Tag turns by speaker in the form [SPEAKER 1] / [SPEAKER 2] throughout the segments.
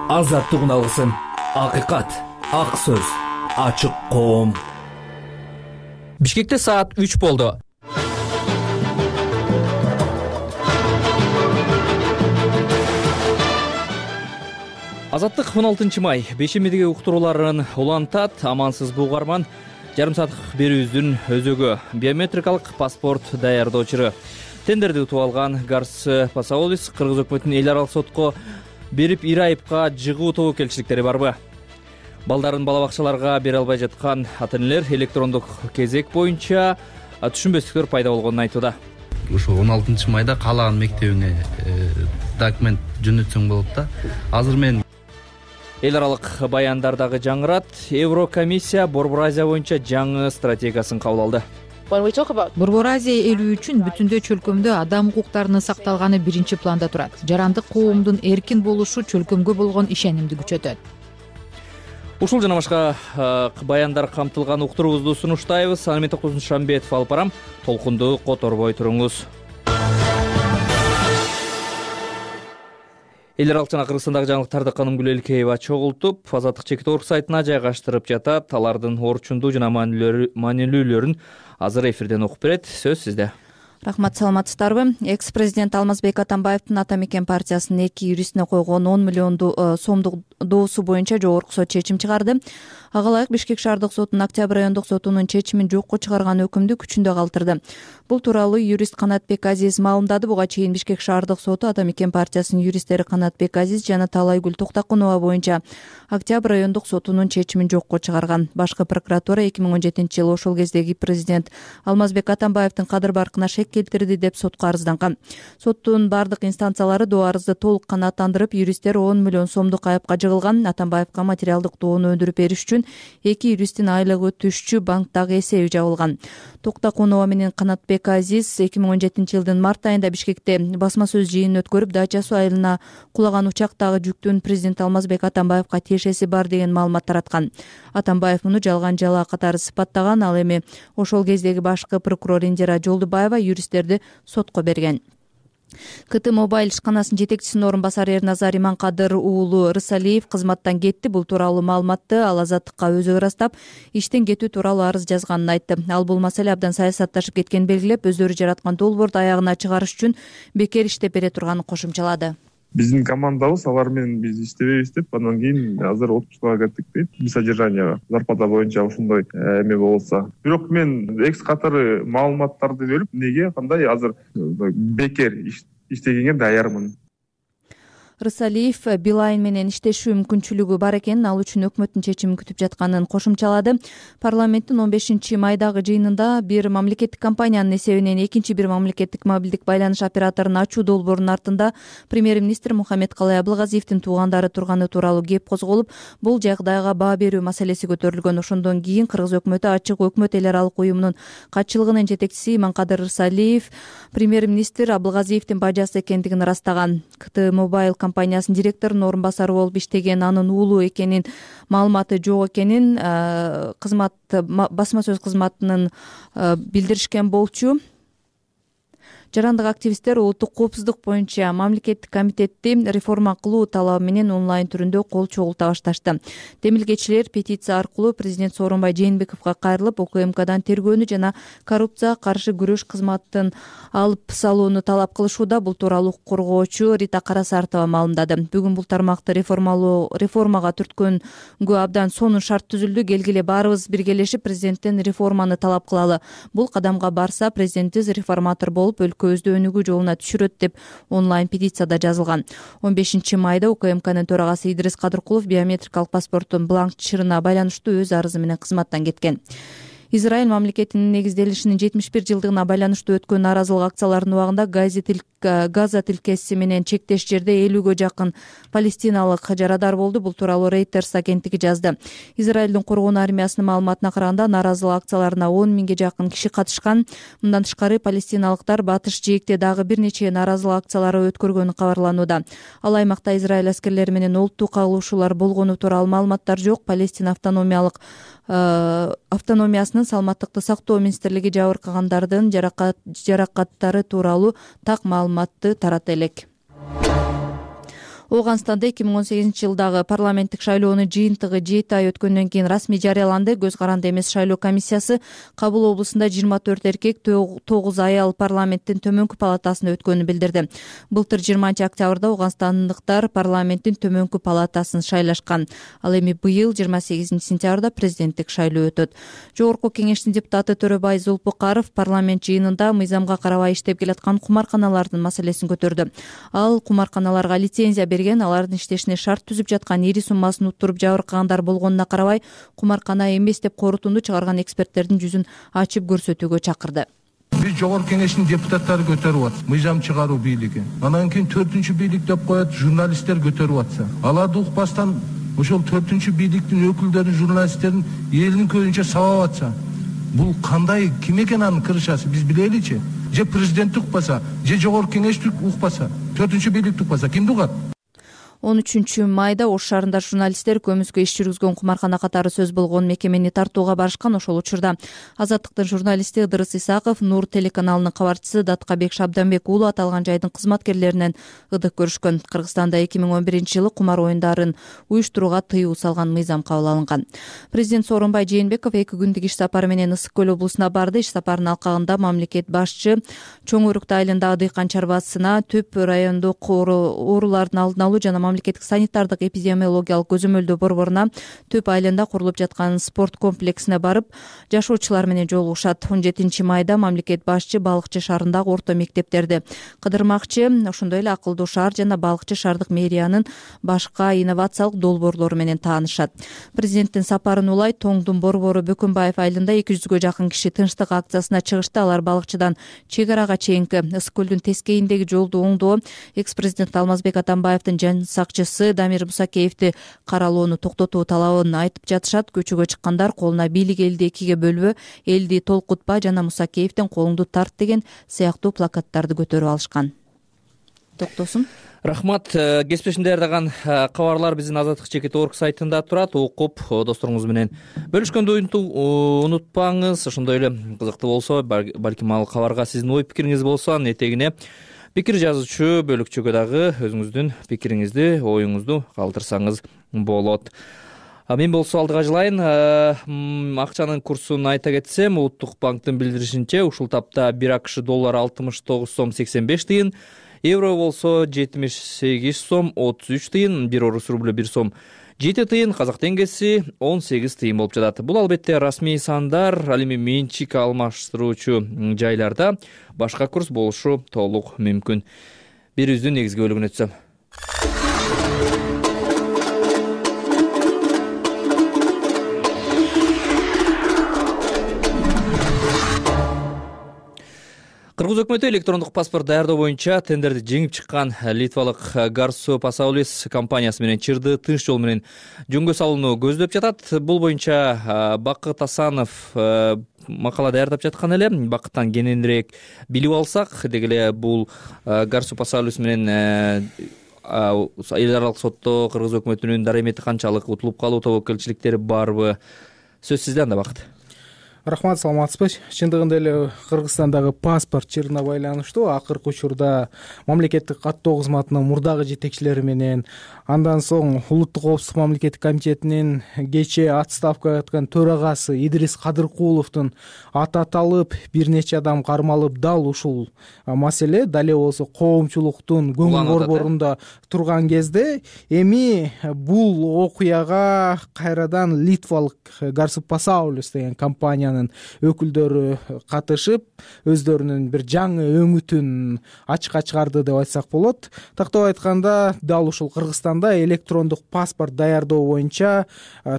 [SPEAKER 1] азаттыгын алгысың. Акыйкат, ак сөз, ачык коом.
[SPEAKER 2] Бишкекте саат 3 болду. Азаттык 16 май бейшембидеги уктурууларын улантат. Амансыз бугарман. Жарым сааттык берүүбүздүн өзөгү биометрикалык паспорт даярдоочу тендерди утуп алган Гарс Пасаолис Кыргыз өкмөтүнүн эл аралык сотко берип ир айыпка жыгуу тобокелчиликтери барбы? Балдарын бала бакчаларга бере албай жаткан ата-энелер электрондук кезек боюнча түшүнбөстүктөр пайда болгонун айтууда.
[SPEAKER 3] Ушул 16 майда каалаган мектебиңе документ жөнөтсөң болот да. Азыр мен
[SPEAKER 2] Эл аралык баяндар дагы жаңырат. Еврокомиссия Борбор Азия боюнча жаңы стратегиясын кабыл алды.
[SPEAKER 4] Борбор Азия элүү үчүн бүтүндөй чөлкөмдө адам укуктарынын сакталганы биринчи планда турат. Жарандык коомдун эркин болушу чөлкөмгө болгон ишенимди күчөтөт.
[SPEAKER 2] Ушул жана башка баяндар камтылган уктуруубузду сунуштайбыз. Аны мен Токтосун Шамбетов алып барам. Толкунду которбой туруңуз. Эл аралык жана Кыргызстандагы жаңылыктарды Канымгүл Элкеева чогултуп, Азаттык Чекит.org сайтына жайгаштырып жатат. Алардын орчундуу жана маанилүүлөрүн азыр эфирден окуп берет. Сөз сизде.
[SPEAKER 4] Рахмат, саламатсыздарбы? Экс-президент Алмазбек Атамбаевдин Ата Мекен партиясынын 2 юристине койгон 10 миллион сомдук доосу боюнча жогорку сот чечим чыгарды. Ага ылайык Бишкек шаардык сотунун Октябрь райондук сотунун чечимин жокко чыгарган өкүмдү күчүндө калтырды. Бул тууралуу юрист Канатбек Азиз маалымдады. Буга чейин Бишкек шаардык соту Ата Мекен партиясынын юристтери Канатбек Азиз жана Талайгүл Токтокунова боюнча Октябрь райондук сотунун чечимин жокко чыгарган. Башкы прокуратура 2017-жылы ошол кездеги президент Алмазбек Атамбаевдин кадыр баркына шек келтирди деп сотко арызданган. Соттун бардык инстанциялары доо арызды толук канааттандырып, юристтер 10 миллион сомдук айыпка жыгылган. Атамбаевка материалдык доону өндүрүп бериш үчүн 2 юристтин айлыгы түшчү банктагы эсеби жабылган. Токтокунова менен Канатбек Азиз 2017-жылдын март айында Бишкекте басма сөз жыйынын өткөрүп, Дача суу айылына кулаган учактагы жүктүн президент Алмазбек Атамбаевка тиешеси бар деген маалымат тараткан. Атамбаев муну жалган жалаа катары сыпаттаган. Ал эми ошол кездеги башкы прокурор Индира Жолдубаева юристтерди сотко берген. КТ Мобайл ишканасынын жетекчисинин орун басары Эрназар Иманкадыр уулу Рысалиев кызматтан кетти. Бул тууралуу маалыматты ал Азаттыкка өзү ырастап, иштен кетүү тууралуу арыз жазганын айтты. Ал бул маселе абдан саясатташып кеткенин белгилеп, өздөрү жараткан долбоорду аягына чыгарыш үчүн бекер иштеп бере турганын кошумчалады.
[SPEAKER 5] Биздин командабыз алар менен биз иштебейбиз деп, андан кийин азыр отпускага кеттик дейт. Содержанияга зарплата боюнча ушундай эме болсо. Бирок мен экс катары маалыматтарды бөлүп, неге кандай азыр бекер иштегенге даярмын.
[SPEAKER 4] Рысалиев Билайн менен иштешүү мүмкүнчүлүгү бар экенин, ал үчүн өкмөттүн чечимин күтүп жатканын кошумчалады. Парламенттин 15 майдагы жыйынында бир мамлекеттик компаниянын эсебинен экинчи бир мамлекеттик мобилдик байланыш операторун ачуу долбоорунун артында премьер-министр Мухаммедкалай Абылгазиевдин туугандары турганы тууралуу кеп козголуп, бул жагдайга баа берүү маселеси көтөрүлгөн. Ошондон кийин Кыргыз өкмөтү ачык өкмөт эл аралык уюмунун катчылыгынын жетекчиси Иманкадыр Рысалиев премьер-министр Абылгазиевдин бажасы экендигин ырастаган. КТ Мобайл компаниясынын директорунун орун басары болуп иштеген, анын уулу экенин, маалыматы жок экенин басма сөз кызматынын билдиришкен болчу. Жарандык активисттер улуттук коопсуздук боюнча мамлекеттик комитетти реформа кылуу талабы менен онлайн түрүндө кол чогулта башташты. Демилгечилер петиция аркылуу президент Сооронбай Жээнбековго кайрылып, УКМКдан тергөөнү жана коррупцияга каршы күрөш кызматын алып салууну талап кылышууда. Бул тууралуу укук коргоочу Рита Карасартова маалымдады. Бүгүн бул тармакты реформага түрткөнгө абдан сонун шарт түзүлдү. Келгиле баарыбыз биргелешип президенттен реформаны талап кылалы. Бул кадамга барса, президентибиз реформатор болуп өлкөбүздү өнүгүү жолуна түшүрөт деп онлайн петицияда жазылган. 15 майда УКМКнын төрагасы Идрис Кадыркулов биометрикалык паспорттун бланк чырына байланыштуу өз арызы менен кызматтан кеткен. Израиль мамлекетинин негизделишинин 71 жылдыгына байланыштуу өткөн нааразылык акцияларынын убагында Газа тилкеси менен чектеш жерде 50гө жакын палестиналык жарадар болду. Бул тууралуу Reuters агенттиги жазды. Израилдин коргоон армиясынын маалыматына караганда нааразылык акцияларына 10 миңге жакын киши катышкан. Мындан тышкары палестиналыктар батыш жээкте дагы бир нече нааразылык акциялары өткөргөнү кабарланууда. Ал аймакта Израиль аскерлери менен олуттуу кагылышуулар болгону тууралуу маалыматтар жок. Палестина автономиясынын саламаттыкты сактоо министрлиги жабыркагандардын жаракаттары тууралуу так маалыматты тарата элек. Ооганстанда 2018 жылдагы парламенттик шайлоонун жыйынтыгы 7 ай өткөндөн кийин расмий жарыяланды. Көз каранды эмес шайлоо комиссиясы Кабыл облусунда 24 эркек, 9 аял парламенттин төмөнкү палатасына өткөнүн билдирди. Былтыр 20 октябрда ооганстандыктар парламенттин төмөнкү палатасын шайлашкан. Ал эми быйыл 28 сентябрда президенттик шайлоо өтөт. Жогорку кеңештин депутаты Төрөбай Зулпукаров парламент жыйынында мыйзамга карабай иштеп келаткан кумарканалардын маселесин көтөрдү. Ал кумарканаларга лицензия берген, алардын иштешине шарт түзүп жаткан, ири суммасын уттуруп жабыркагандар болгонуна карабай кумаркана эмес деп корутунду чыгарган эксперттердин жүзүн ачып көрсөтүүгө чакырды.
[SPEAKER 6] Биз жогорку кеңештин депутаттары көтөрүп атат, мыйзам чыгаруу бийлиги. Анан кийин 4-үчү бийлик деп коет, журналисттер көтөрүп атса. Аларды укпастан ошол 4-үчү бийликтин өкүлдөрүн, журналисттерин элдин көзүнчө сабап атса, бул кандай, ким экен анын кырышасы, биз билеличи. Же президент укпаса, же жогорку кеңеш укпаса, 4-үчү бийлик укпаса, кимди угат?
[SPEAKER 4] 13 майда Ош шаарында журналисттер көмүскө иш жүргүзгөн кумаркана катары сөз болгон мекемени тартууга барышкан. Ошол учурда Азаттыктын журналисти Ыдырыс Исаков, Нур телеканалынын кабарчысы Даткабек Шабданбек уулу аталган жайдын кызматкерлеринен ыдык көрүшкөн. Кыргызстанда 2011 жылы кумар оюндарын уюштурууга тыюу салган мыйзам кабыл алынган. Президент Сооронбай Жээнбеков 2 күндүк иш сапары менен Ысык көл облусуна барды. Иш сапарынын алкагында мамлекет башчы Чоң Өрүктү айылындагы дыйкан чарбасына төп райондук оорулардын алдын алуу жана мамлекеттик санитардык эпидемиологиялык көзөмөлдөө борборуна төп айылында курулуп жаткан спорт комплексине барып, жашоочулар менен жолугушат. 17 майда мамлекет башчы Балыкчы шаарындагы орто мектептерди кыдырмакчы. Ошондой эле Акылдуу шаар жана Балыкчы шаардык мэриянын башка инновациялык долбоорлору менен таанышат. Президенттин сапарын улай Тоңдун борбору Бөкөнбаев айылында 200гө жакын киши тынчтык акциясына чыгышты. Алар Балыкчыдан чек арага чейинки Ысык көлдүн тескейиндеги жолду оңдоо, экс-президент Алмазбек Атамбаевдин сакчысы Дамир Мусакеевди каралоону токтотуу талабын айтып жатышат. Көчөгө чыккандар колуна бийлик элди экиге бөлбө, элди толкутпа жана Мусакеевдин колуңду тарт деген сыяктуу плакаттарды көтөрүп алышкан. Токтосун.
[SPEAKER 2] Рахмат. Кесиптешим даярдаган кабарлар биздин Азаттык ЧКТ.org сайтында турат. Окуп досторуңуз менен бөлүшкөндү унутпаңыз. Ошондой эле кызыктуу болсо, балким ал кабарга сиздин ой пикириңиз болсо, анын этегине пикир жазуучу бөлүкчөгө дагы өзүңүздүн пикириңизди, оюңузду калтырсаңыз болот. Мен болсо алдыга жылайын. Акчанын курсун айта кетсем, Улуттук банктын билдиришинче ушул тапта 1 АКШ доллары 69 сом 85 тыйын, евро болсо 78 сом 33 тыйын, 1 орус рублю 1 сом 7 тыйын, казак теңгеси 18 тыйын болуп жатат. Бул албетте расмий сандар, ал эми менчик алмаштыруучу жайларда башка курс болушу толук мүмкүн. Бирибиздин негизги бөлүгүнө өтсөм. Кыргыз өкмөтү электрондук паспорт даярдоо боюнча тендерди жеңип чыккан литвалык Garsu Pasaulis компаниясы менен чырды тынч жол менен жөнгө салууну көздөп жатат. Бул боюнча Бакыт Асанов макала даярдап жаткан эле. Бакыттан кененирээк билип алсак, деги эле бул Garsu Pasaulis менен эл аралык сотто кыргыз өкмөтүнүн дарымети канчалык, утулуп калуу тобокелчиликтери барбы? Сөз сизде анда, Бакыт.
[SPEAKER 7] Рахмат, саламатсызбы. Чындыгында эле Кыргызстандагы паспорт чырына байланыштуу акыркы учурда мамлекеттик каттоо кызматынын мурдагы жетекчилери менен, андан соң Улуттук коопсуздук мамлекеттик комитетинин кечээ отставкага чыккан төрагасы Идрис Кадыркуловдун аты аталып, бир нече адам кармалып, дал ушул маселе дале болсо коомчулуктун көңүл борборунда турган кезде эми бул окуяга кайрадан литвалык Garsu Pasaulis деген компаниянын өкүлдөрү катышып, өздөрүнүн бир жаңы өңүтүн ачыкка чыгарды деп айтсак болот. Тактап айтканда, дал ушул Кыргызстанда электрондук паспорт даярдоо боюнча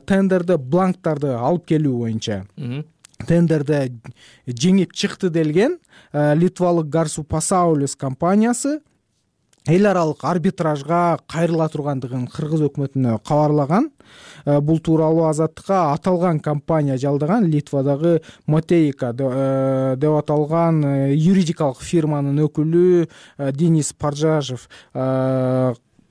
[SPEAKER 7] тендерди, бланктарды алып келүү боюнча тендерди жеңип чыкты делген литвалык Garsu Pasaulis компаниясы эл аралык арбитражга кайрыла тургандыгын кыргыз өкмөтүнө кабарлаган. Бул тууралуу Азаттыкка аталган компания жалдаган Литвадагы Мотейка деп аталган юридикалык фирманын өкүлү Денис Паржажев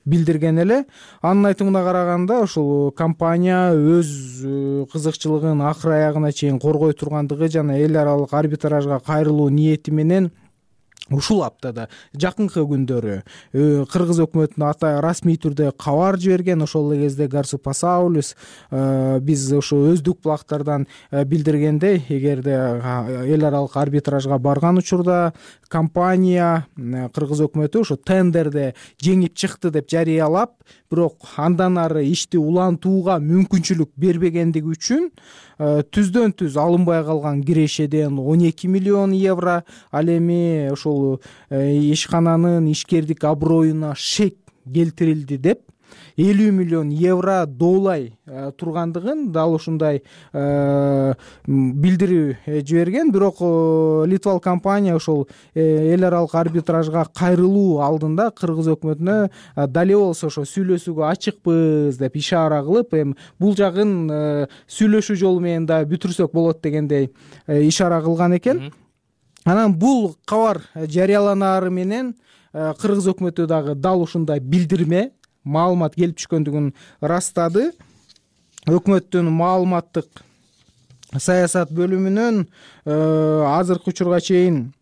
[SPEAKER 7] билдирген эле. Анын айтымына караганда, ушул компания өз кызыкчылыгын акыр аягына чейин коргой тургандыгы жана эл аралык арбитражга кайрылуу ниети менен ушул аптада жакынкы күндөрү кыргыз өкмөтүнө расмий түрдө кабар жиберген. Ошол эле кезде Гарсу Пасаулюс биз ушу өздүк булактардан билдиргендей, эгерде эл аралык арбитражга барган учурда компания кыргыз өкмөтү ушу тендерде жеңип чыкты деп жарыялап, бирок андан ары ишти улантууга мүмкүнчүлүк бербегендиги үчүн түздөн түз алынбай калган кирешеден 12 миллион евро, ал эми ошол ишкананын ишкердик аброюна шек келтирилди деп 50 миллион евро доолай тургандыгын дал ушундай билдирүү жиберген. Бирок Литвалык компания ошол эл аралык арбитражга кайрылуу алдында кыргыз өкмөтүнө дале болсо ошо сүйлөшүүгө ачыкпыз деп ишара кылып, эми бул жагын сүйлөшүү жолу менен да бүтүрсөк болот дегендей ишара кылган экен. Анан бул кабар жарыяланары менен кыргыз өкмөтү дагы дал ушундай билдирме маалымат келип түшкөндүгүн ырастады. Өкмөттүн маалыматтык саясат бөлүмүнөн азыркы учурга чейин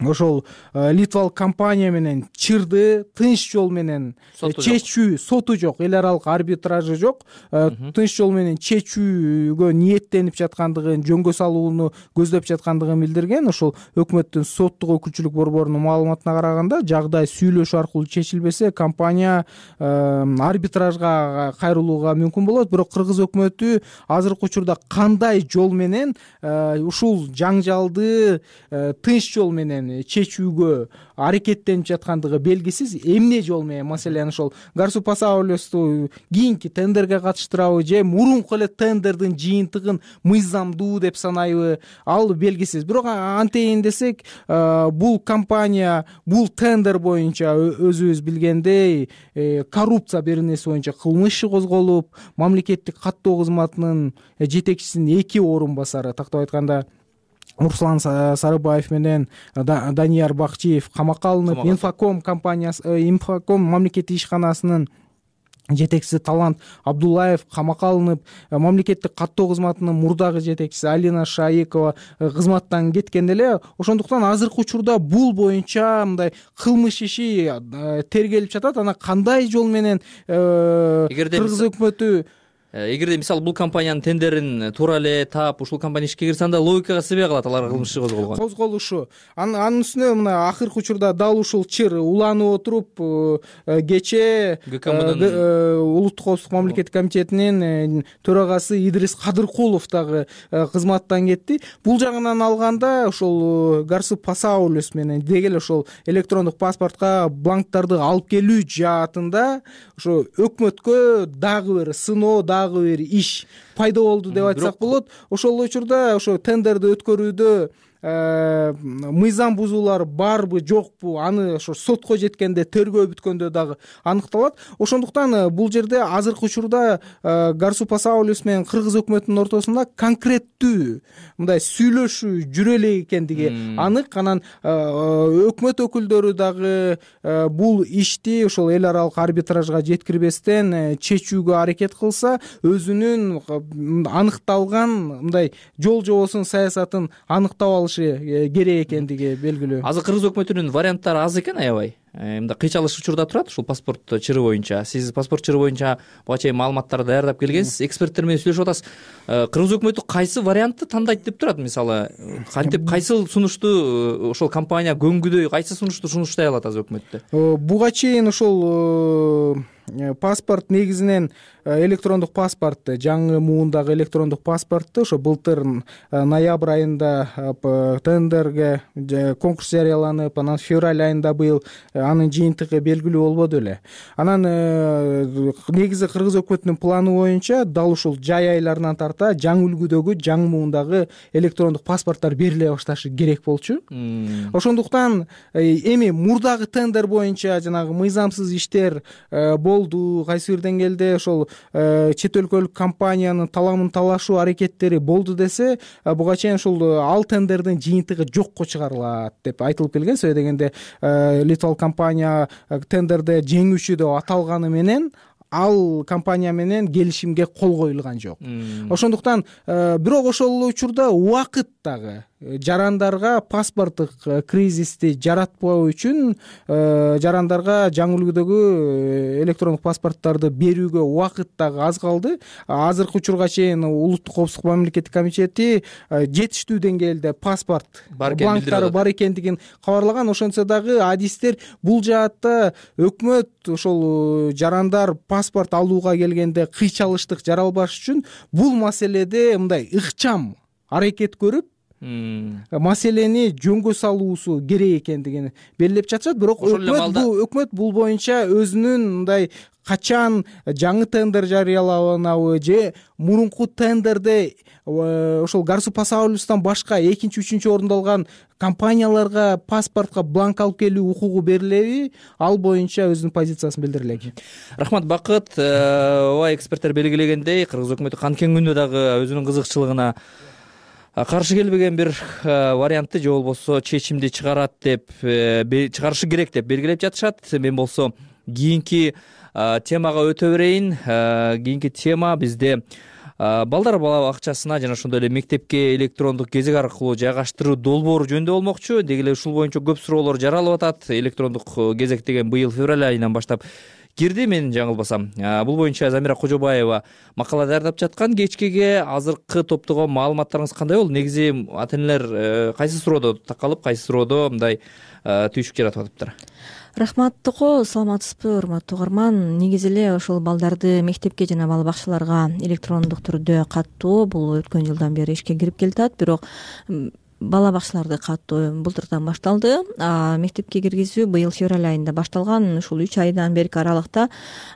[SPEAKER 7] ошол Литвалык компания менен чырды тынч жол менен чечүү, соту жок, эл аралык арбитражы жок, тынч жол менен чечүүгө ниеттенип жаткандыгын, жөнгө салууну көздөп жаткандыгын билдирген. Ошол өкмөттүн соттук өкүлчүлүк борборунун маалыматына караганда, жагдай сүйлөшүү аркылуу чечилбесе, компания арбитражга кайрылууга мүмкүн болот. Бирок кыргыз өкмөтү азыркы учурда кандай жол менен ушул жаңжалды тынч жол менен чечүүгө аракеттенип жаткандыгы белгисиз. Эмне жол менен, маселен ошол Гарсу Пасаулюсту кийинки тендерге катыштырабы же мурунку эле тендердин жыйынтыгын мыйзамдуу деп санайбы, ал белгисиз. Бирок антейин десек, бул компания бул тендер боюнча өзүбүз билгендей коррупция беренеси боюнча кылмыш иши козголуп, мамлекеттик каттоо кызматынын жетекчисинин 2 орун басары, тактап айтканда Руслан Сарыбаев менен Данияр Бакчиев камакка алынып, Инфоком компаниясы, Инфоком мамлекеттик ишканасынын жетекчиси Талант Абдуллаев камакка алынып, мамлекеттик каттоо кызматынын мурдагы жетекчиси Алина Шаикова кызматтан кеткен эле. Ошондуктан азыркы учурда бул боюнча мындай кылмыш иши тергелип жатат. Анан кандай жол менен кыргыз өкмөтү,
[SPEAKER 2] эгерде мисалы бул компаниянын тендерин туура эле таап ушул компания ишке кирсе, анда логикага сыйбай калат алар кылмыш иши
[SPEAKER 7] козголушу. Анын үстүнө мына акыркы учурда дал ушул чыр уланып отуруп, кечээ Улуттук коопсуздук мамлекеттик комитетинин төрагасы Идрис Кадыркулов дагы кызматтан кетти. Бул жагынан алганда ошол Гарсу Пасаулюс менен деги эле ошол электрондук паспортко бланктарды алып келүү жаатында ошо өкмөткө дагы бир сыноо, дагы бир иш пайда болду деп айтсак болот. Ошол учурда ошо тендерди өткөрүүдө мыйзам бузуулар барбы жокпу, аны ошо сотко жеткенде, тергөө бүткөндө дагы аныкталат. Ошондуктан бул жерде азыркы учурда Гарсу Пасаулюс менен кыргыз өкмөтүнүн ортосунда конкреттүү мындай сүйлөшүү жүрө элек экендиги анык. Анан өкмөт өкүлдөрү дагы бул ишти ошол эл аралык арбитражга жеткирбестен чечүүгө аракет кылса, өзүнүн аныкталган мындай жол жобосун, саясатын аныктап алышы керек экендиги белгилүү.
[SPEAKER 2] Азыр кыргыз өкмөтүнүн варианттары аз экен, аябай. Мындай кыйчалыш учурда турат ушул паспорт чыры боюнча. Сиз паспорт чыры боюнча буга чейин маалыматтарды даярдап келгенсиз, эксперттер менен сүйлөшүп атасыз. Кыргыз өкмөтү кайсы вариантты тандайт деп турат? Мисалы, кантип кайсы сунушту ошол компания көңгүдөй, кайсы сунушту сунуштай алат азыр өкмөттө?
[SPEAKER 7] Буга чейин ошол паспорт негизинен электрондук паспортты, жаңы муундагы электрондук паспортты ошо былтыр ноябрь айында тендерге конкурс жарыяланып, анан февраль айында быйыл анын жыйынтыгы белгилүү болбоду эле. Анан негизи кыргыз өкмөтүнүн планы боюнча дал ушул жай айларынан тарта жаңы үлгүдөгү, жаңы муундагы электрондук паспорттор бериле башташы керек болчу. Ошондуктан эми мурдагы тендер боюнча жанагы мыйзамсыз иштер болду, кайсы бир деңгээлде ошол чет өлкөлүк компаниянын таламын талашуу аракеттери болду десе, буга чейин ушул ал тендердин жыйынтыгы жокко чыгарылат деп айтылып келген. Сөзсүз дегенде Литвалык компания тендерде жеңүүчү деп аталганы менен ал компания менен келишимге кол коюлган жок. Ошондуктан бирок ошол учурда убакыт дагы жарандарга паспорттук кризисти жаратпоо үчүн жарандарга жаңы үлгүдөгү электрондук паспорттарды берүүгө убакыт дагы аз калды. Азыркы учурга чейин улуттук коопсуздук мамлекеттик комитети жетиштүү деңгээлде паспорт бланктары бар экендигин кабарлаган. Ошентсе дагы адистер бул жаатта өкмөт ошол жарандар паспорт алууга келгенде кыйчалыштык жаралбаш үчүн бул маселеде мындай ыкчам аракет көрүп маселени жөнгө салуусу керек экендигин белгилеп жатышат. Бирок өкмөт бул боюнча өзүнүн мындай качан жаңы тендер жарыяланабы же мурунку тендерде ошол Гарсу Пасаулюстан башка экинчи, үчүнчү орунду алган компанияларга паспортко бланк алып келүү укугу берилеби, ал боюнча өзүнүн позициясын билдире элек.
[SPEAKER 2] Рахмат, Бакыт. Ооба, эксперттер белгилегендей, кыргыз өкмөтү канкен күндө дагы өзүнүн кызыкчылыгына каршы келбеген бир вариантты же болбосо чечимди чыгарат деп чыгарышы керек деп белгилеп жатышат. Мен болсо кийинки темага өтө берейин. Кийинки тема бизде балдар бала бакчасына жана ошондой эле мектепке электрондук кезек аркылуу жайгаштыруу долбоору жөнүндө болмокчу. Деги эле ушул боюнча көп суроолор жаралып атат. Электрондук кезек деген быйыл февраль айынан баштап кирди, мен жаңылбасам. Бул боюнча Замира Кожобаева макала даярдап жаткан. Кечкеге азыркы топтогон маалыматтарыңыз кандай болду? Негизи ата-энелер кайсы суроодо такалып, кайсы суроодо мындай түйшүк жаратып атыптыр?
[SPEAKER 4] Рахмат Токо, саламатсызбы урматтуу угарман? Негизи эле ошол балдарды мектепке жана бала бакчаларга электрондук түрдө каттоо бул өткөн жылдан бери ишке кирип келатат. Бирок бала бакчаларды каттоо былтырдан башталды. Мектепке киргизүү быйыл февраль айында башталган. Ушул 3 айдан берки аралыкта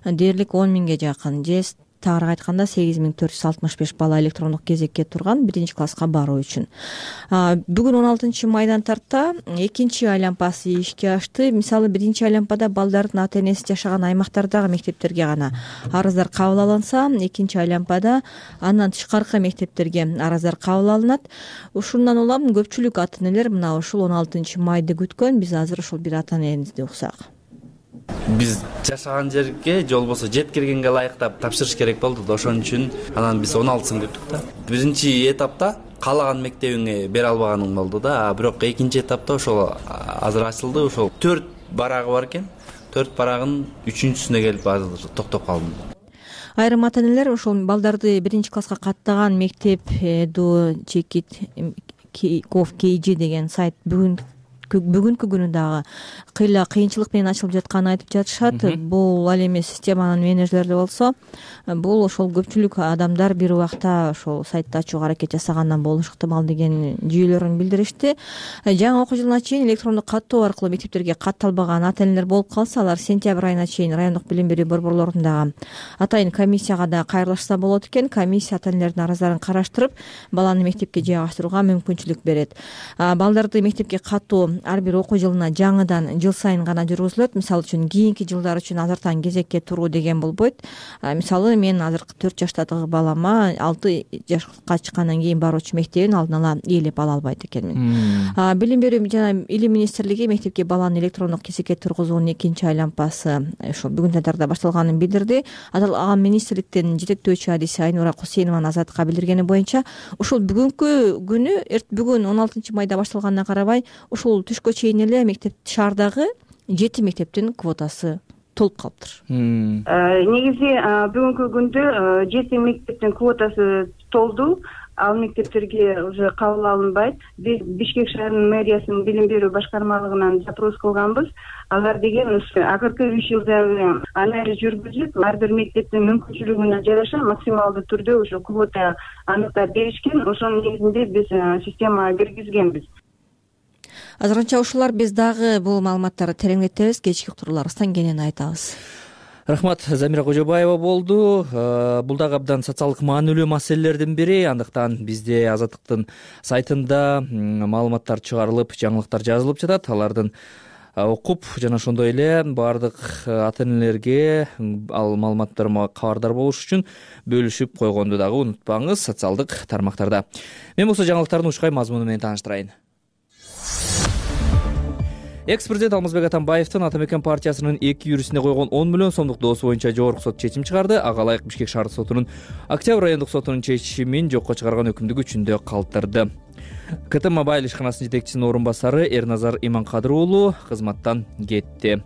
[SPEAKER 4] дээрлик 10 миңге жакын же тагыраак айтканда 8465 бала электрондук кезекке турган 1-класска баруу үчүн. Бүгүн 16 майдан тарта 2 айлампасы ишке ашты. Мисалы 1 айлампада балдардын ата-энеси жашаган аймактардагы мектептерге гана арыздар кабыл алынса, 2 айлампада андан тышкаркы мектептерге арыздар кабыл алынат. Ушундан улам көпчүлүк ата-энелер мына ушул 16 майды күткөн. Биз азыр ушул бир ата-энебизди уксак.
[SPEAKER 3] Биз жашаган жерге же болбосо жеткиргенге ылайыктап тапшырыш керек болду да, ошон үчүн анан биз 16-сын күттүк да. Биринчи этапта каалаган мектебиңе бере албаганың болду да, бирок экинчи этапта ошол азыр ачылды. Ошол 4 барагы бар экен. 4 барагын 3-сүнө келип азыр токтоп калдым.
[SPEAKER 4] Айрым ата-энелер ошол балдарды 1-класска каттаган мектеп Эду Чекит Ков KG деген сайт бүгүнкү күнү дагы кыйынчылык менен ачылып жатканын айтып жатышат. Бул ал эми системанын менеджерлери болсо, бул ошол көпчүлүк адамдар бир убакта ошол сайтты ачууга аракет жасагандан болушу ыктымал деген жүйөлөрүн билдиришти. Жаңы окуу жылына чейин электрондук каттоо аркылуу мектептерге катталбаган ата-энелер болуп калса, алар сентябрь айына чейин райондук билим берүү борборлорундагы атайын комиссияга да кайрылышса болот экен. Комиссия ата-энелердин арыздарын караштырып, баланы мектепке жайгаштырууга мүмкүнчүлүк берет. Балдарды мектепке каттоо ар бир окуу жылына жаңыдан жыл сайын гана жүргүзүлөт. Мисалы үчүн кийинки жылдар үчүн азыртан кезекке туруу деген болбойт. Мисалы мен азыркы 4 жаштагы балама 6 жашка чыккандан кийин баруучу мектебин алдын ала ээлеп ала албайт экенмин. Билим берүү жана илим министрлиги мектепке баланы электрондук кезекке тургузуунун 2 айлампасы ошол бүгүн татарда башталганын билдирди. Аталган министрликтин жетектөөчү адиси Айнура Кусейнованын Азаттыкка билдиргени боюнча, ушул бүгүнкү күнү бүгүн 16 майда башталганына карабай, ушул түшкө чейин эле мектеп шаардагы 7 мектептин квотасы толуп калыптыр.
[SPEAKER 8] Негизи бүгүнкү күндө 7 мектептин квотасы толду. Ал мектептерге уже кабыл алынбайт. Биз Бишкек шаарынын мэриясынын билим берүү башкармалыгынан запрос кылганбыз. Алар деген акыркы 3 жылдагы анализ жүргүзүп, ар бир мектептин мүмкүнчүлүгүнө жараша максималдуу түрдө ошо квота аныктап беришкен. Ошонун негизинде биз системага киргизгенбиз.
[SPEAKER 4] Азырынча ушулар, биз дагы бул маалыматтарды тереңдетебиз, кечки уктурууларыбыздан кенен айтабыз.
[SPEAKER 2] Рахмат, Замира Кожобаева болду. Бул дагы абдан социалдык маанилүү маселелердин бири. Андыктан бизде Азаттыктын сайтында маалыматтар чыгарылып, жаңылыктар жазылып жатат. Алардын окуп жана ошондой эле баардык ата-энелерге ал маалыматтарга кабардар болуш үчүн бөлүшүп койгонду дагы унутпаңыз социалдык тармактарда. Мен болсо жаңылыктардын ушкай мазмуну менен тааныштырайын. Экс-президент Алмазбек Атамбаевдин Ата мекен партиясынын 2 юристине койгон 10 миллион сомдук доосу боюнча жогорку сот чечим чыгарды. Ага ылайык Бишкек шаардык сотунун Октябрь райондук сотунун чечимин жокко чыгарган өкүмдү күчүндө калтырды. КТ Мобайл ишканасынын жетекчисинин орун басары Эрназар Иманкадыр уулу кызматтан кетти.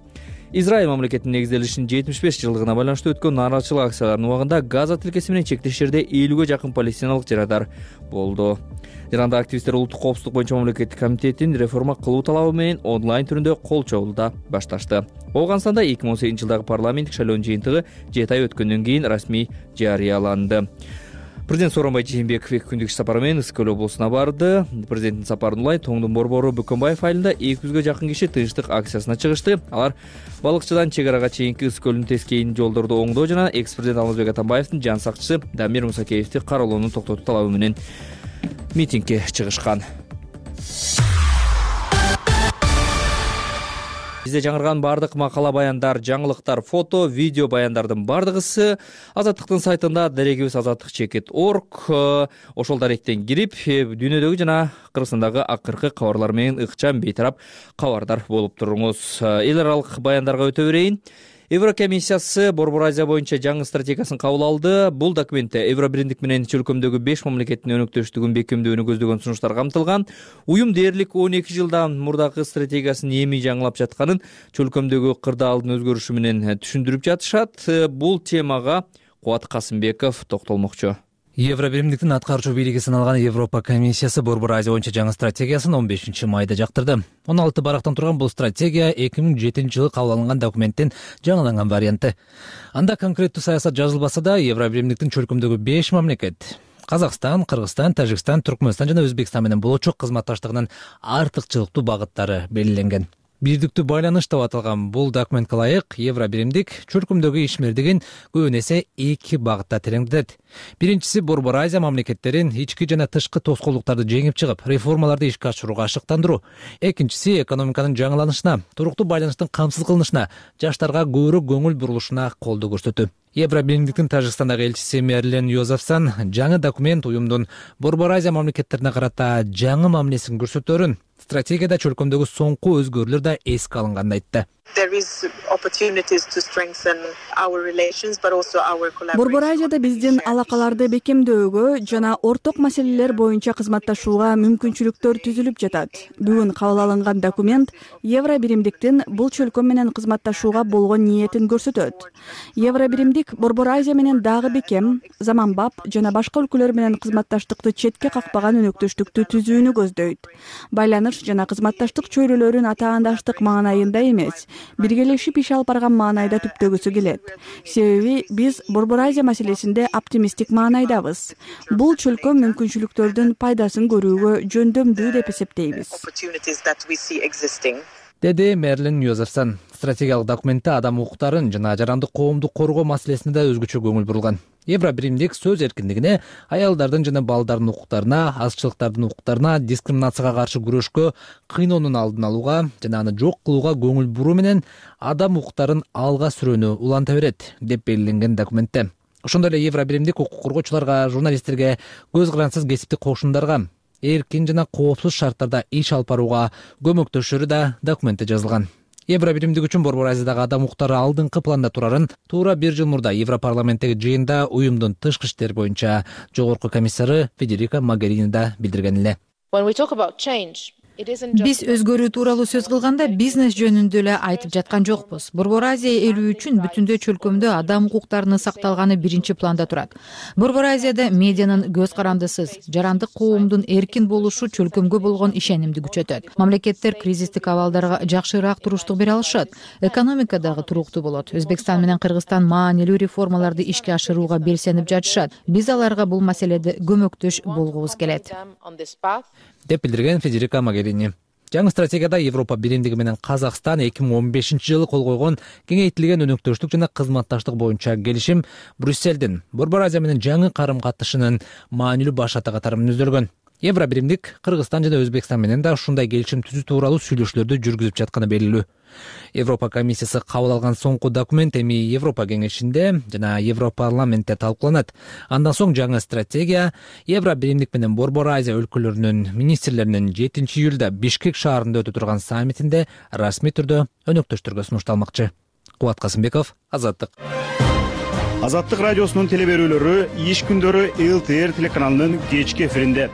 [SPEAKER 2] Израиль мамлекетинин негизделишинин 75 жылдыгына байланыштуу өткөн нааразычылык акцияларынын убагында Газа тилкеси менен чектеш жерде 50ге жакын палестиналык жарадар болду. Жаранда активисттер улуттук коопсуздук боюнча мамлекеттик комитеттин реформа кылуу талабы менен онлайн түрүндө кол чогулда башташты. Ооганстанда 2018 жылдагы парламенттик шайлоонун жыйынтыгы 7 ай өткөндөн кийин расмий жарыяланды. Президент Сооронбай Жээнбеков 2 күндүк иш сапары менен Ысык Көл облусуна барды. Президенттин сапарын улай Тоңдун борбору Бөкөнбаев айылында 200ге жакын киши тынчтык акциясына чыгышты. Алар балыкчыдан чек арага чейинки Ысык Көлдүн тескейин жолдорду оңдоо жана экс-президент Алмазбек Атамбаевдин жан сакчысы Дамир Мусакеевди кароолоону токтотуу талабы менен митингге чыгышкан. Бизде жаңырган бардык макала, баяндар, жаңылыктар, фото, видео баяндардын бардыгысы Азаттыктын сайтында дарегибиз azattik.org. Ошол даректен кирип, дүйнөдөгү жана Кыргызстандагы акыркы кабарлар менен ыкчам бейтарап кабардар болуп туруңуз. Эл аралык баяндарга өтө берейин. Еврокомиссиясы Борбор Азия боюнча жаңы стратегиясын кабыл алды. Бул документте Евробиримдик менен чөлкөмдөгү 5 мамлекеттин өнөктөштүгүн бекемдөөнү көздөгөн сунуштар камтылган. Уюм дээрлик 12 жылдан мурдагы стратегиясын эми жаңылап жатканын чөлкөмдөгү кырдаалдын өзгөрүшү менен түшүндүрүп жатышат. Бул темага Кубат Касымбеков токтолмокчу.
[SPEAKER 1] Евробиримдиктин аткаруучу бийлиги саналган Европа комиссиясы Борбор Азия боюнча жаңы стратегиясын 15 майда жактырды. 16 барактан турган бул стратегия 2007 жылы кабыл алынган документтин жаңыланган варианты. Анда конкреттүү саясат жазылбаса да, Евробиримдиктин чөлкөмдөгү 5 мамлекет Казакстан, Кыргызстан, Тажикстан, Түркмөнстан жана Өзбекстан менен болочок кызматташтыгынын артыкчылыктуу багыттары белгиленген. Бирдиктүү байланыш деп аталган бул документке ылайык Евробиримдик чөлкөмдөгү ишмердигин көбүн эсе 2 багытта тереңдетет. Биринчиси Борбор Азия мамлекеттерин ички жана тышкы тоскоолдуктарды жеңип чыгып, реформаларды ишке ашырууга ашыктандыруу. Экинчиси экономиканын жаңыланышына, туруктуу байланыштын камсыз кылынышына, жаштарга көбүрөөк көңүл бурулушуна колдоо көрсөтүү. Евробиримдиктин Тажикстандагы элчиси Мерлен Йозефсон жаңы документ уюмдун Борбор Азия мамлекеттерине карата жаңы мамилесин көрсөтөөрүн, стратегияда чөлкөмдөгү соңку өзгөрүүлөр да эске алынганын айтты.
[SPEAKER 9] Борбор Азияда биздин алакаларды бекемдөөгө жана орток маселелер боюнча кызматташууга мүмкүнчүлүктөр түзүлүп жатат. Бүгүн кабыл алынган документ Евробиримдиктин бул чөлкөм менен кызматташууга болгон ниетин көрсөтөт. Евробиримдик Борбор Азия менен дагы бекем, заманбап жана башка өлкөлөр менен кызматташтыкты четке какпаган өнөктөштүктү түзүүнү көздөйт. Байланыш жана кызматташтык чөйрөлөрүн атаандаштык маанайында эмес, биргелешип иш алып барган маанайда түптөгүсү келет. Себеби биз Борбор Азия маселесинде оптимисттик маанайдабыз. Бул чөлкөм мүмкүнчүлүктөрдүн пайдасын көрүүгө жөндөмдүү деп эсептейбиз,
[SPEAKER 1] деди Мерлин Йозефсон. Стратегиялык документте адам укуктарын жана жарандык коомду коргоо маселесине да өзгөчө көңүл бурулган. Евробиримдик сөз эркиндигине, аялдардын жана балдардын укуктарына, азчылыктардын укуктарына, дискриминацияга каршы күрөшкө, кыйноонун алдын алууга жана аны жок кылууга көңүл буруу менен адам укуктарын алга сүрөөнү уланта берет деп белгиленген документте. Ошондой эле Евробиримдик укук коргоочуларга, журналисттерге, көз карансыз кесиптик кошундарга эркин жана коопсуз шарттарда иш алып барууга көмөктөшөрү да документте жазылган. Евробиримдик үчүн Борбор Азиядагы адам укуктары алдыңкы планда турарын туура 1 жыл мурда Европарламенттеги жыйында уюмдун тышкы иштер боюнча жогорку комиссары Федерика Могерини да билдирген эле.
[SPEAKER 10] Биз өзгөрүү тууралуу сөз кылганда бизнес жөнүндө эле айтып жаткан жокпуз. Борбор Азия эли үчүн бүтүндөй чөлкөмдө адам укуктарынын сакталганы биринчи планда турат. Борбор Азияда медианын көз карандысыз, жарандык коомдун эркин болушу чөлкөмгө болгон ишенимди күчөтөт. Мамлекеттер кризистик абалдарга жакшыраак туруштук бере алышат. Экономика дагы туруктуу болот. Өзбекстан менен Кыргызстан маанилүү реформаларды ишке ашырууга белсенип жатышат. Биз аларга бул маселеде көмөктөш болгубуз келет,
[SPEAKER 1] деп билдирген Федерика Могерини. Жаңы стратегияда Европа биримдиги менен Казакстан 2015 жылы кол койгон кеңейтилген өнөктөштүк жана кызматташтык боюнча келишим Брюсселдин Борбор Азия менен жаңы карым-катышынын маанилүү башаты катары мүнөздөлгөн. Евробиримдик Кыргызстан жана Өзбекстан менен да ушундай келишим түзүү тууралуу сүйлөшүүлөрдү жүргүзүп жатканы белгилүү. Европа комиссиясы кабыл алган соңку документ эми Европа кеңешинде жана Европарламентте талкууланат. Андан соң жаңы стратегия Евробиримдик менен Борбор Азия өлкөлөрүнүн министрлеринин 7 июлда Бишкек шаарында өтө турган саммитинде расмий түрдө өнөктөштөргө сунушталмакчы. Кубат Касымбеков, Азаттык.
[SPEAKER 11] Азаттык радиосунун телеберүүлөрү иш күндөрү ЛТР телеканалынын кечки эфиринде.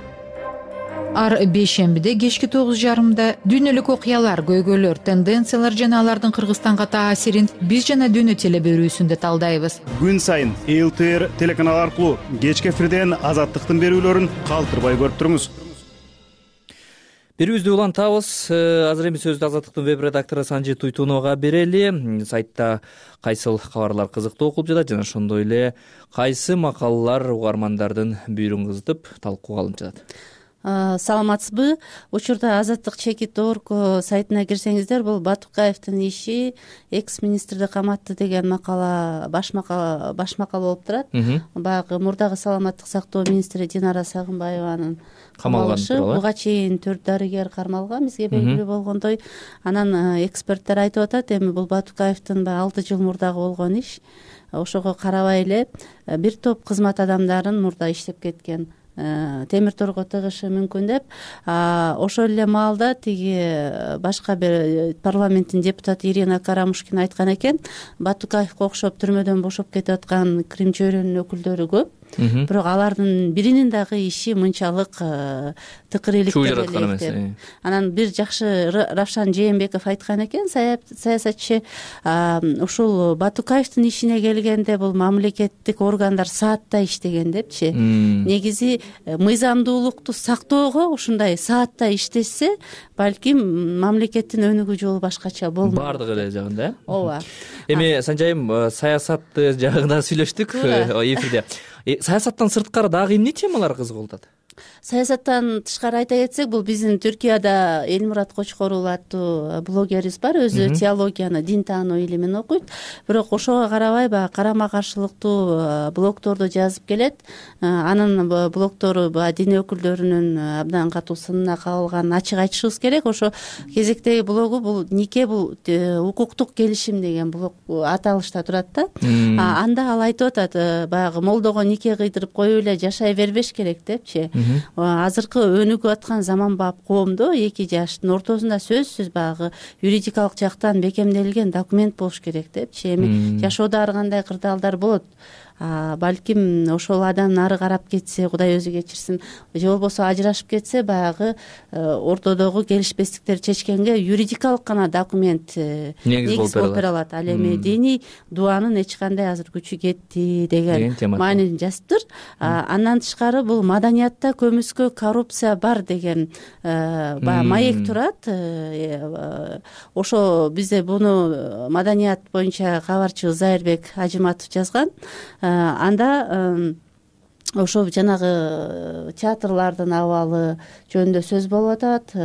[SPEAKER 10] ар бейшембиде кечки 9:30 дүйнөлүк окуялар, көйгөйлөр, тенденциялар жана алардын Кыргызстанга таасирин биз жана дүйнө теле берүүсүндө талдайбыз.
[SPEAKER 11] Күн сайын ЛТР телеканалы аркылуу кечки эфирден Азаттыктын берүүлөрүн калтырбай көрүп туруңуз.
[SPEAKER 2] Берүүбүздү улантабыз. Азыр эми сөздү Азаттыктын веб редактору Санжи Туйтуновго берели. Сайтта кайсыл кабарлар кызыктуу окулуп жатат жана ошондой эле кайсы макалалар угармандардын бүйүрүн кызытып талкууга алынып жатат.
[SPEAKER 12] Саламатсызбы? Учурда Азаттык.org сайтына кирсеңиздер, бул Батукаевдин иши экс-министрди каматты деген макала баш макала болуп турат. Баягы мурдагы саламаттык сактоо министри Динара Сагынбаеванын камалышы. Буга чейин 4 дарыгер кармалган, бизге белгилүү болгондой. Анан эксперттер айтып атат, эми бул Батукаевдин 6 жыл мурдагы болгон иш. Ошого карабай эле бир топ кызмат адамдарын мурда иштеп кеткен темир торго тыгышы мүмкүн деп, ошол эле маалда тиги башка бир парламенттин депутаты Ирина Карамушкина айткан экен, Батукаевге окшоп түрмөдөн бошоп кетип аткан Крим чөйрөнүн өкүлдөрү көп. Бирок алардын биринин дагы иши мынчалык тыкыр иликтеп элек. Анан бир жакшы Равшан Жээнбеков айткан экен, саясатчы, ушул Батукаевдин ишине келгенде бул мамлекеттик органдар сааттай иштеген депчи. Негизи мыйзамдуулукту сактоого ушундай сааттай иштешсе, балким мамлекеттин өнүгүү жолу башкача болмок.
[SPEAKER 2] Бардыгы эле жагында, э?
[SPEAKER 12] Ооба.
[SPEAKER 2] Эми Санжайым, саясатты жагында сүйлөштүк эфирде. Саясаттан сырткары дагы эмне темалар кызык атат?
[SPEAKER 12] Саясаттан тышкары айта кетсек, бул биздин Түркияда Элмурат Кочкорул аттуу блогерибиз бар, өзү теологияны, дин таануу илимин окуйт. Бирок ошого карабай баягы карама каршылыктуу блогторду жазып келет. Анын блогтору дин өкүлдөрүнүн абдан катуу сынына кабылганын ачык айтышыбыз керек. Ошо кезектеги блогу бул нике бул укуктук келишим деген блог аталышта турат да. Анда ал айтып атат, баягы молдого нике кыйдырып коюп эле жашай бербеш керек депчи. Азыркы өнүгүп аткан заманбап коомдо эки жаштын ортосунда сөзсүз баягы юридикалык жактан бекемделген документ болуш керек депчи. Эми жашоодо ар кандай кырдаалдар болот. Балким ошол адам нары карап кетсе, Кудай өзү кечирсин, же болбосо ажырашып кетсе, баягы ортодогу келишпестиктерди чечкенге юридикалык гана документ негиз болуп бере алат. Ал эми диний дуанын эч кандай азыр күчү кетти деген маанини жазыптыр. Андан тышкары бул маданиятта көмүскө коррупция бар деген баягы маек турат. Ошо бизде буну маданият боюнча кабарчы Зайырбек Ажыматов жазган. Анда ошо жанагы театрлардын абалы жөнүндө сөз болуп атат.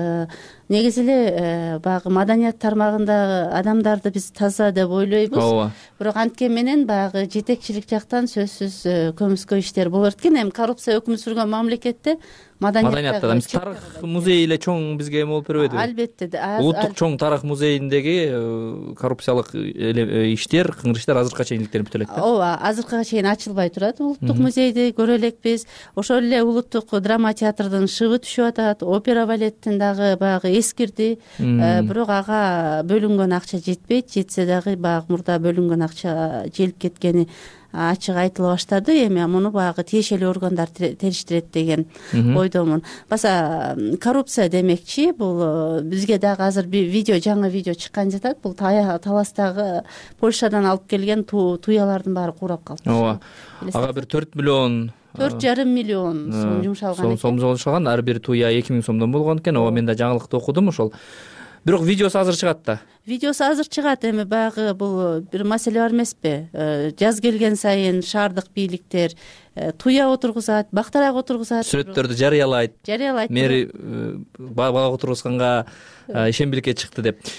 [SPEAKER 12] Негизи эле баягы маданият тармагындагы адамдарды биз таза деп ойлойбуз. Бирок анткени менен баягы жетекчилик жактан сөзсүз көмүскө иштер болот экен. Эми коррупция өкүм сүргөн мамлекетте маданиятта
[SPEAKER 2] тарых музей эле чоң бизге эме болуп бербейдиби?
[SPEAKER 12] Албетте.
[SPEAKER 2] Улуттук чоң тарых музейиндеги коррупциялык иштер, кыңгырыштар азыркыга чейин иликтенип бүтө элек да.
[SPEAKER 12] Ооба, азыркыга чейин ачылбай турат. Улуттук музейди көрө элекпиз. Ошол эле улуттук драма театрдын шыбы түшүп атат. Опера балеттин дагы баягы эскирди. Бирок ага бөлүнгөн акча жетпейт. Жетсе дагы баягы мурда бөлүнгөн акча желип кеткени ачык айтыла баштады. Эми муну баягы тиешелүү органдар териштирет деген ойдомун. Баса коррупция демекчи, бул бизге дагы азыр жаңы видео чыккан жатат. Бул Таластагы Польшадан алып келген туялардын баары курап калды.
[SPEAKER 2] Ооба. Ага бир 4 миллион
[SPEAKER 12] 4,5 миллион сом жумшалган экен.
[SPEAKER 2] Сом жумшалган, ар бир туя 2000 сомдон болгон экен. Ооба, мен да жаңылыкты окудум ошол. Бирок видеосу азыр чыгат да.
[SPEAKER 12] Видеосу азыр чыгат. Эми баягы бул бир маселе бар эмеспи? Жаз келген сайын шаардык бийликтер туя отургузат, бактарак отургузат,
[SPEAKER 2] сүрөттөрдү жарыялайт. Мэри бала отургузганга ишембиликке чыкты деп.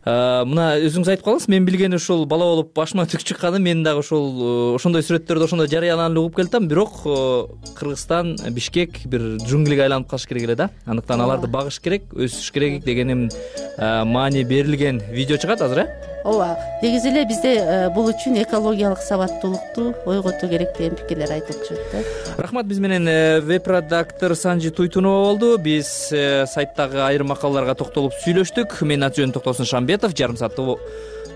[SPEAKER 2] Мына өзүңүз айтып калдыңыз, мен билгени ушул бала болуп башыма түк чыкканы, мен дагы ошондой сүрөттөрдү ошондой жарыяланып угуп келатам. Бирок Кыргызстан, Бишкек бир джунглиге айланып калыш керек эле да. Андыктан аларды багыш керек, өсүш керек дегеним маани берилген видео чыгат азыр, э?
[SPEAKER 12] Ооба, негизи эле бизде бул үчүн экологиялык сабаттуулукту ойготуу керек деген пикирлер айтылып жүрөт да.
[SPEAKER 2] Рахмат, биз менен веб-редактор Санжи Туйтунова болду. Биз сайттагы айрым макалаларга токтолуп сүйлөштүк. Менин аты жөнүм Токтосун Шамбетов. Жарым сааттык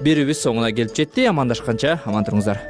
[SPEAKER 2] берүүбүз соңуна келип жетти. Амандашканча аман туруңуздар.